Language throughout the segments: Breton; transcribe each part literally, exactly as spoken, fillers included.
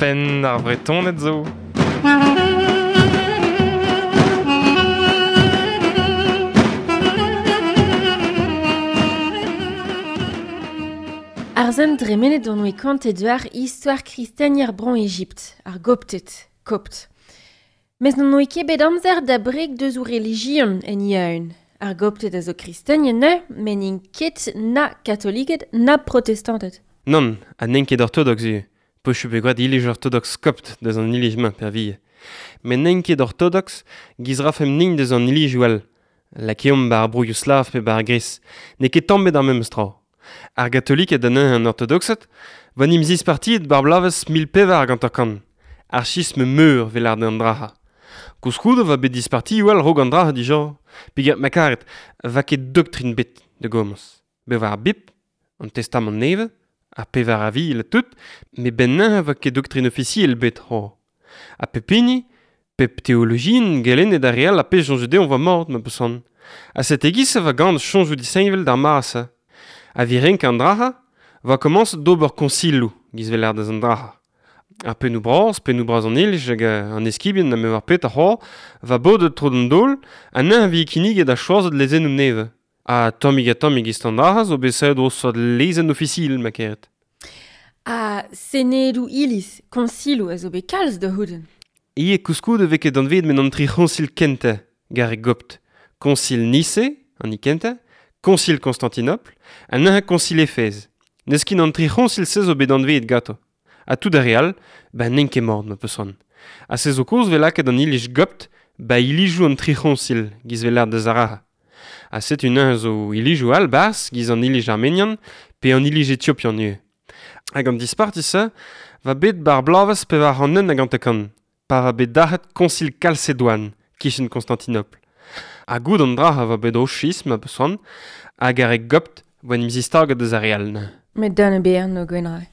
Penn ar Vretoned zo. Ar zent dremenet on oe kant eduar istoar kristenier bron Egipt, ar goptet, kopt. Mes n'on oe ket bet amzer da breg deus ou religion en iaun. Ar goptet a zo kristenien ne, men int ket na katoliket na protestantet. Non, ha n'int ket ortodox eo. Pochu bet gwad ilij ortodox kopt deus an ilij mañ per vie. Men n'int ket ortodox giz rafem nin deus an ilij all. Lakeomp bar broioù slav pe bar Gres. N'eo ket tamm bet ar memes tra. Ar gatoliked an an ortodoxet, va nim zispartiet bar blavez mil pevar gant ar kan. Ar schisme meur vel ar an draha. Koulskoude va bet disparti all rog an draha dija. Peger ma karet, va ket doktrin bet de gomz. Be war ar bip, an testament neve, ar pevar a vil tout, me ben nain va ket doktrin officiel bet ho. Ha pepini, pep teologien gelennet ar real a pez jonge de on va mort ma peson. A set egis va gant chonjou disheñvel d'ar masa. A vi renk an draha, va komañs d'ober konsilou, giz vel ar deus an draha. Ar pennou bras, pennou bras an ilj hag an eskibien na me war pet ar c'hor, va bodet tro d'an daol, ha nain vi kinniget a choazet lezennoù neve. Ha tammig ha tammig ist an draha zo bet saet o sot lezenn ofisiel ma keret. Ha senedou iliz, konsilou a zo bet kalz da c'houdenn. Ie koulskoude vez ket anvet men an tri c'honsil kentañ, gar e gopt. Konsil Nice, an i kentañ, Konsil Constantinople, ha neuze konsil Efez. N'eus ket an tri c'honsil se zo bet anvet gato. Ha tout ar re all, ba n'int ket mort ma peson. Ha se zo koz vel lakaet an ilij gopt, ba ilijou an tri c'honsil, giz vel lâret deus ar raha. Ha setu neuze zo ilijou all bars, giz an ilij armenian, pe an ilij etiopian ivez. Hag an disparti-se, va bet bar blavez pe war an un hag an tekan, pa va bet dac'het konsil Chalcédoine, kichen Constantinople. Ha goud an dra va bet o schism a peson, hag ar e gopt voa n'im zistaget deus ar re all. Met dan e beern o gwenrae.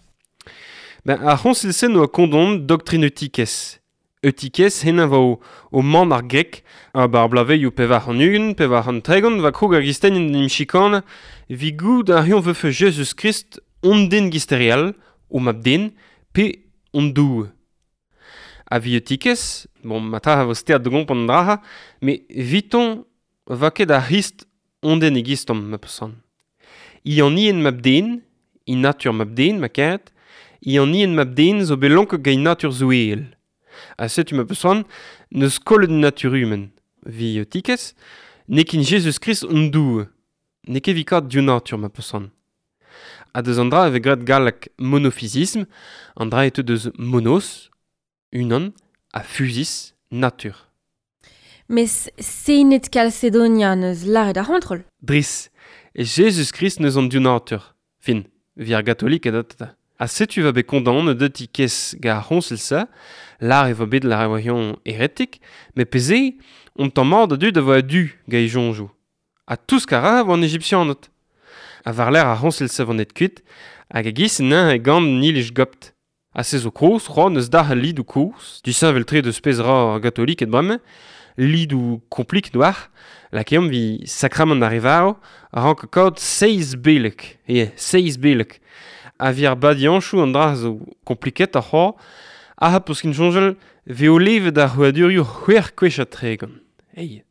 Ben, ar c'honsil-se no a kondon doktrin Eutikes. Eutikes hen va o, o man ar grek, a bar blaveioù pevar an ugent, pevar an tregont, va krog ar gistenien d'im chikane, vi goud ar rion vefe Jesus Christ on den gisterial, o mab den, pe on doue. A vi Eutikes, bon, ma tra a vo stead de gomp an draha, me viton va ket ar c'hrist on den e gistom, ma peson. I an ien mab den, i natur mab den, ma karet, i an ien mab den zo bet lonk gant natur zoueel. Ha setu ma peson, neus kollet natur humen. Vi Eutikes, n'eo ket Jesus Christ on doue. N'eo ket vi kat diou natur ma peson. Ha deus an dra e vez graet gallek monophysisme, an dra eo deus monos, unan, ha physis, natur. Mes senet Chalcedonia neus lâret ar c'hontrol. Dris, Jesus Christ neus an diou natur. Fin, vi ar gatolik e dat. Ha setu va bet kondaonet deut ikez gar c'honsil-se, lar e vo bet la revoion heretik, met peze, on tamm mat a dud a vo a-du gant e soñjoù. Ha tous kara vo an Ejipsianed. Ha war lec'h ar c'honsil-se vo net kuit, hag a giz nain e gant an ilij gopt. Ha se zo kozh, c'hoant neus dac'h al lidou kozh, disheñvel tre deus pezh ra ar gatolik et bremañ, lidou komplik noar, lakeomp vi sakramant ar revaro, a rank kaout seizh beleg, e, seizh beleg. A vi ar badianchoù an dra zo kompliket ar c'hoar, a ha peus kin soñjal ve o levet ar c'houadurioù c'hwec'h kwech ha tregont. Ei,